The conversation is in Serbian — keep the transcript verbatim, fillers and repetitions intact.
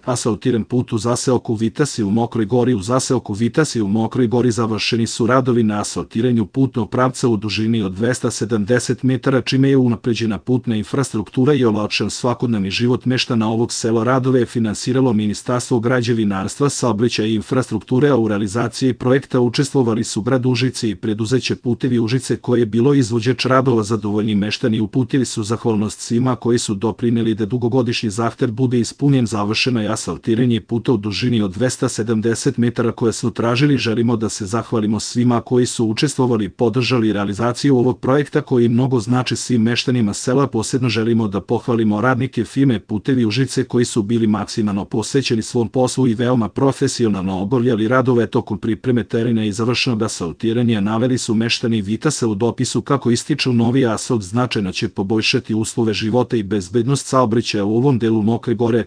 Asfaltiran put u zaseoku Vitasi u Mokroj Gori. U zaseoku Vitasi u Mokroj Gori završeni su radovi na asfaltiranju putnog pravca u dužini od dvesta sedamdeset metara, čime je unapređena putna infrastruktura i olakšan svakodnevni život meštana ovog sela. Radove je finansiralo Ministarstvo građevinarstva, saobraćaja i infrastrukture, a u realizaciji projekta učestvovali su grad Užice i preduzeće Putevi Užice, koje je bilo izvođač radova. Zadovoljni meštani uputili su zahvalnost svima koji su doprineli da dugogodišnji zahtev bude ispunjen. Završeno je asfaltiranje puta u dužini od dvesta sedamdeset metara koje smo tražili. Želimo da se zahvalimo svima koji su učestvovali i podržali realizaciju ovog projekta koji mnogo znači svim meštanima sela. Posebno želimo da pohvalimo radnike firme Putevi Užice koji su bili maksimalno posvećeni svom poslu i veoma profesionalno obavljali radove tokom pripreme terena i završenog asfaltiranja. Naveli su meštani Vitasa u dopisu kako ističu novi asfalt značajno će poboljšati uslove života i bezbednost saobraćaja u ovom delu Mokre Gore.